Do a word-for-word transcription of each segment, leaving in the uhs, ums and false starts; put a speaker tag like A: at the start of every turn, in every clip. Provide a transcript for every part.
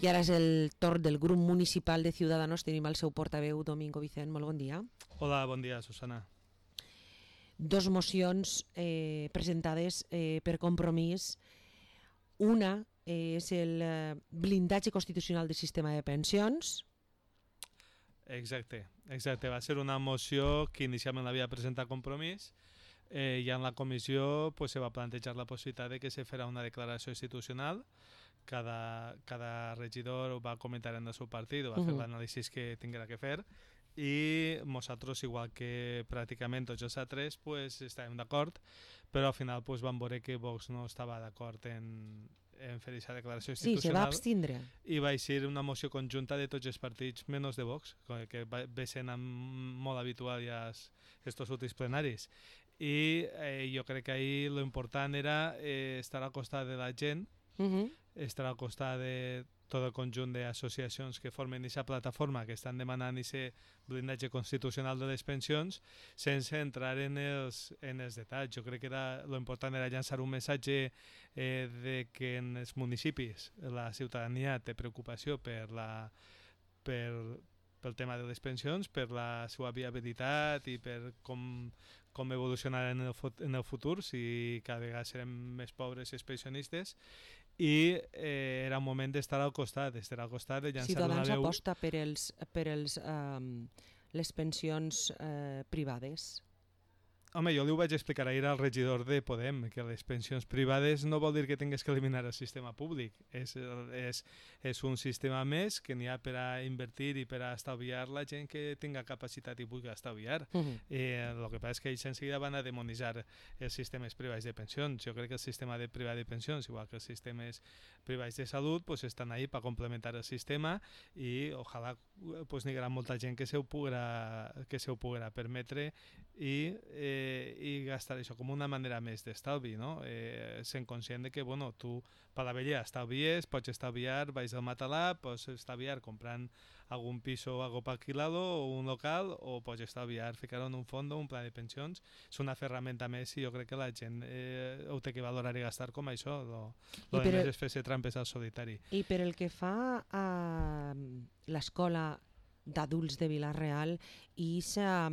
A: I ara és el torn del grup municipal de Ciudadanos. Tenim el seu portaveu, Domingo Vicent. Molt bon dia.
B: Hola, bon dia, Susana.
A: Dos mocions eh, presentades eh, per Compromís. Una és el eh, blindatge constitucional del sistema de pensions.
B: Exacte, exacte. Va ser una moció que inicialment l'havia presentat Compromís eh, i en la comissió pues, se va plantejar la possibilitat de que se farà una declaració institucional. Cada, cada regidor va comentar en el seu partit, va uh -huh. fer l'anàlisi que tinguera que fer, i nosaltres, igual que pràcticament tots els altres, pues, estàvem d'acord, però al final pues, vam veure que Vox no estava d'acord en, en fer aquesta declaració institucional.
A: Sí, se va abstindre.
B: I va ser una moció conjunta de tots els partits, menys de Vox, que ve sent molt habitual ja aquests últims plenaris. I eh, jo crec que ahir lo important era eh, estar al costat de la gent, uh -huh. estar al costat de tot el conjunt d'associacions que formen aquesta plataforma que estan demanant aquest blindatge constitucional de les pensions, sense entrar en els, en els detalls. Jo crec que era, lo important era llançar un missatge eh, de que en els municipis la ciutadania té preocupació per la per, pel tema de les pensions, per la seva viabilitat i per com, com evolucionar en el, en el futur, si cada vegada serem més pobres els pensionistes. I eh, era un moment d'estar al costat, d'estar al costat, de llançar
A: Ciutadans
B: una veu...
A: aposta per, els, per els, um, les pensions eh, privades.
B: Home, jo li ho vaig explicar ahir al regidor de Podem, que les pensions privades no vol dir que tingues que eliminar el sistema públic. És, és, és un sistema més que n'hi ha per a invertir i per a estalviar la gent que tinga capacitat i pugui estalviar. Uh -huh. eh, el que passa és que ells enseguida van a demonitzar els sistemes privats de pensions. Jo crec que el sistema de privat de pensions, igual que els sistemes privats de salut, pues, estan ahí per complementar el sistema i ojalà pues, n'hi haurà molta gent que se ho puguera, que se ho puguera permetre i eh, i gastar això com una manera més d'estalvi, no? Eh, sent conscient de que, bueno, tu per la vella estalvies, pots estalviar, vais al matalà, pots estalviar comprant algun piso o algo pa alquilado o un local, o pots estalviar ficar en un fons o un pla de pensions. És una ferramenta més i jo crec que la gent eh, ho té que valorar i gastar com això, lo, lo de més és fer-se trampes al solitari.
A: I per el que fa a l'escola d'adults de Vila-real i s'ha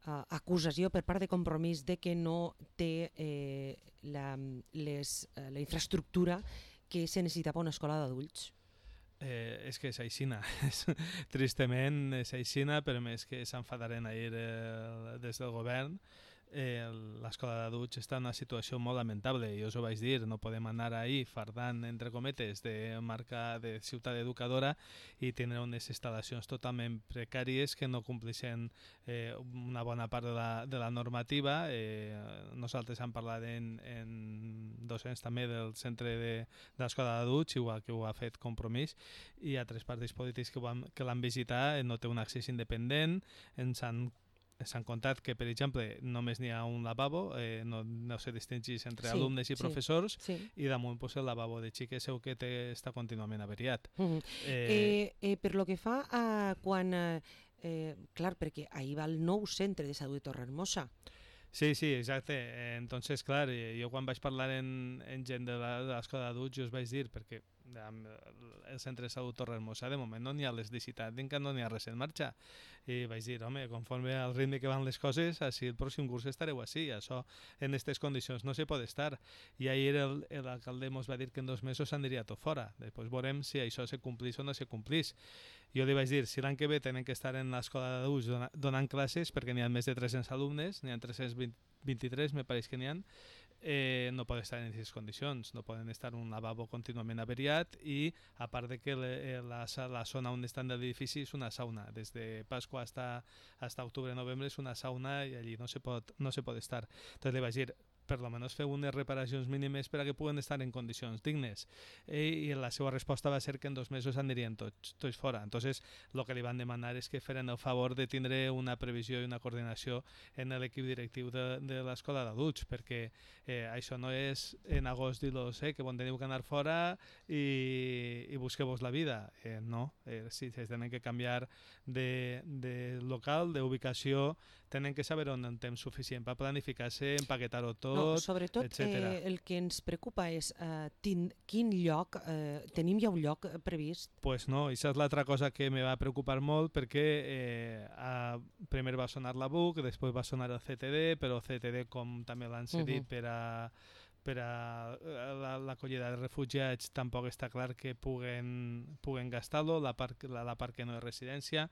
A: Uh, acusació per part de Compromís de que no té eh, la, les, uh, la infraestructura que se necessita per una escola d'adults.
B: Eh, és que és aixina, tristament és aixina, però més que s'enfadaren ahir eh, des del govern. Eh, l'escola d'adults està en una situació molt lamentable, i us ho vaig dir, no podem anar ahir fardant, entre cometes, de marca de ciutat educadora i tindre unes instal·lacions totalment precàries que no complixen eh, una bona part de la, de la normativa. Eh, nosaltres hem parlat en, en docents també del centre de, de l'escola d'adults, igual que ho ha fet Compromís, i hi ha tres partits polítics que, van, que l'han visitat, no té un accés independent, ens han s'han contat que, per exemple, només n'hi ha un lavabo, eh, no, no se distingeix entre sí, alumnes i sí, professors, sí. I damunt pues, el lavabo de xiques seu que té, està contínuament averiat. Uh -huh. eh,
A: eh, eh, per lo que fa a quan... Eh, clar, perquè ahir va el nou centre de salut de Torrehermosa.
B: Sí, sí, exacte. Eh, entonces, clar, jo quan vaig parlar en, en gent de l'escola d'adults, jo us vaig dir, perquè el centre de salut Torrehermosa de moment no n'hi ha l'electricitat, que no n'hi ha res en marxa, i vaig dir, home, conforme al ritme que van les coses, així el pròxim curs estareu així, això en aquestes condicions no se pot estar. I ahir l'alcalde ens va dir que en dos mesos s'aniria tot fora, després veurem si això se complís o no se complís. Jo li vaig dir, si l'any que ve tenen que estar en l'escola d'adults donant classes, perquè n'hi ha més de tres-cents alumnes, n'hi ha tres-cents vint-i-tres, me pareix que n'hi ha, eh, no poden estar en aquestes condicions, no poden estar en un lavabo contínuament averiat, i a part de que le, la, la zona on estan de l'edifici és una sauna, des de Pasqua hasta, hasta octubre-novembre és una sauna i allí no se pot, no se pot estar. Entonces li vaig dir, per almenys fer unes reparacions mínimes per a que puguen estar en condicions dignes. I, i la seva resposta va ser que en dos mesos anirien tots, tots fora. Entonces, el que li van demanar és que feren el favor de tindre una previsió i una coordinació en l'equip directiu de, de l'escola d'adults, perquè eh, això no és en agost dir-los eh, que bon teniu que anar fora i, i busqueu-vos la vida. Eh, no, eh, sí, es tenen que canviar de, de local, d'ubicació, tenen que saber on en temps suficient per planificar-se, empaquetar-ho tot,
A: no, sobretot
B: etcètera.
A: Eh, el que ens preocupa és eh, tin, quin lloc, eh, tenim ja un lloc previst?
B: Pues no, això és l'altra cosa que me va preocupar molt perquè eh, a, primer va sonar la B U C, després va sonar el C T D, però el C T D, com també l'han cedit uh -huh. per a per a l'acollida de refugiats, tampoc està clar que puguen, puguen gastar-lo, la, part, la, la part que no és residència.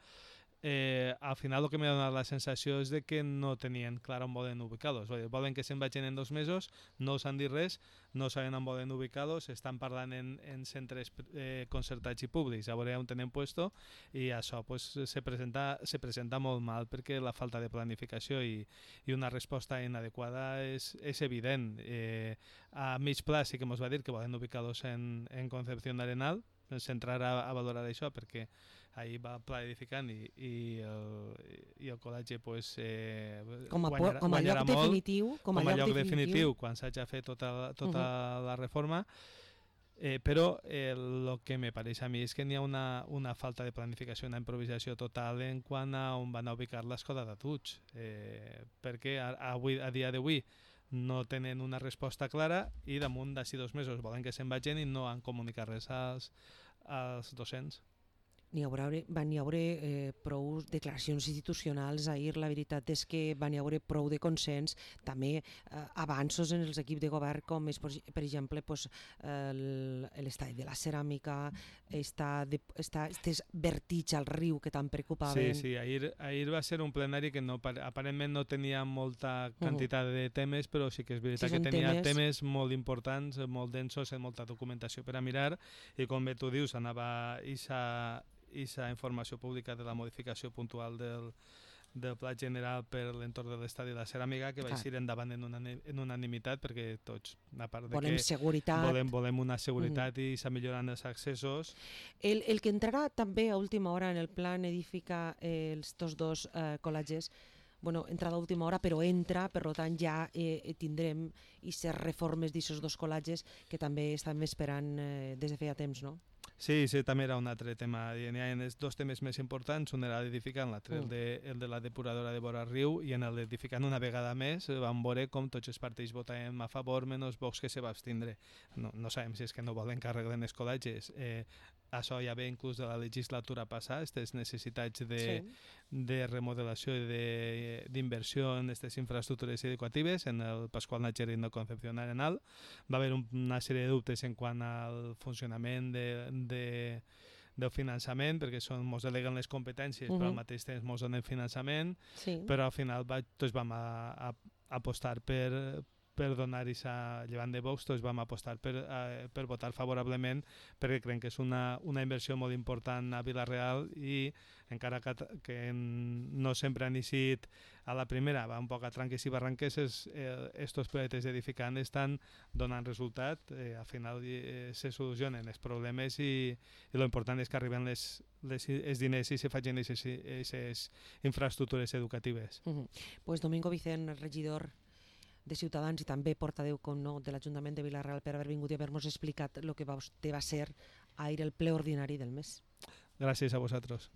B: Eh, al final el que m'ha donat la sensació és de que no tenien clar on volen ubicar-los. Volen que se'n vagin en dos mesos, no us han dit res, no saben on volen ubicar-los, estan parlant en, en centres eh, concertats i públics, a veure on tenen puesto, i això pues, se, presenta, se presenta molt mal perquè la falta de planificació i, i una resposta inadequada és, és evident. Eh, a mig pla sí que ens va dir que volen ubicar-los en, en Concepción Arenal, centrar a, a valorar això perquè ahir va pla edificant i, i, el, i el col·legi pues, eh,
A: com a,
B: guanyarà,
A: com a
B: guanyarà
A: lloc
B: molt,
A: definitiu, com a,
B: com a lloc,
A: lloc
B: definitiu,
A: definitiu
B: quan s'hagi fet tota, tota uh -huh. la reforma. Eh, però el eh, que me pareix a mi és que n'hi ha una, una falta de planificació, una improvisació total en quant a on van a ubicar l'escola d'adults, eh, perquè a, a, avui, a dia d'avui no tenen una resposta clara i damunt d'ací dos mesos volen que se'n vagin i no han comunicat res als, als docents.
A: N'hi haurà, van hi haure eh, prou declaracions institucionals ahir, la veritat és que van hi haure prou de consens, també eh, avanços en els equips de govern, com és, per exemple, pues, l'estadi de la ceràmica, està, de, està este vertiig al riu que tant preocupaven.
B: Sí, sí, ahir, ahir va ser un plenari que no, aparentment no tenia molta quantitat uh -huh. de temes, però sí que és veritat sí, que tenia temes... temes molt importants, molt densos, amb molta documentació per a mirar, i com bé tu dius, anava ixa i la informació pública de la modificació puntual del, del Pla General per l'entorn de l'estadi de la ceràmica, que va eixir endavant en, una, en unanimitat, perquè tots, a part de
A: volem
B: que
A: seguretat.
B: Volem, volem una seguretat mm. i s'ha millorat els accessos.
A: El, el que entrarà també a última hora en el plan edifica eh, els tots dos eh, col·legis, bueno, entrada a última hora, però entra, per tant ja eh, tindrem aquestes reformes d'aquests dos col·legis que també estem esperant eh, des de feia temps, no?
B: Sí, sí, també era un altre tema. Hi ha dos temes més importants, un era l'edificant, l'altre mm. el, de, el de la depuradora de vora riu, i en l'edificant una vegada més vam veure com tots els partits votaven a favor, menys Vox que se va abstindre. No, no sabem si és que no volen que arreglen els col·legis. Eh, això ja ve inclús de la legislatura passada, aquestes necessitats de, sí. de remodelació i d'inversió en aquestes infraestructures educatives, en el Pasqual Nacherin de Concepción Arenal. Va haver un, una sèrie de dubtes en quant al funcionament de, de, del finançament, perquè són, mos deleguen les competències, uh -huh. però al mateix temps mos donen finançament, sí. però al final va, tots vam a, a, apostar per per donar aquesta llevant de Vox, tots vam apostar per, eh, per votar favorablement, perquè creiem que és una, una inversió molt important a Vila-real, i encara que, que no sempre han eixit a la primera, va un poc a tranques i barranques, estos eh, projectes edificants estan donant resultat, eh, al final eh, se solucionen els problemes, i, i lo important és que arriben les, les, els diners i se facin aquestes infraestructures educatives.
A: Uh -huh. Pues Domingo Vicent, regidor de Ciutadans i també portaveu, com no, de l'Ajuntament de Vila-real, per haver vingut i haver-nos explicat el que va, va ser ahir el ple ordinari del mes.
B: Gràcies a vosaltres.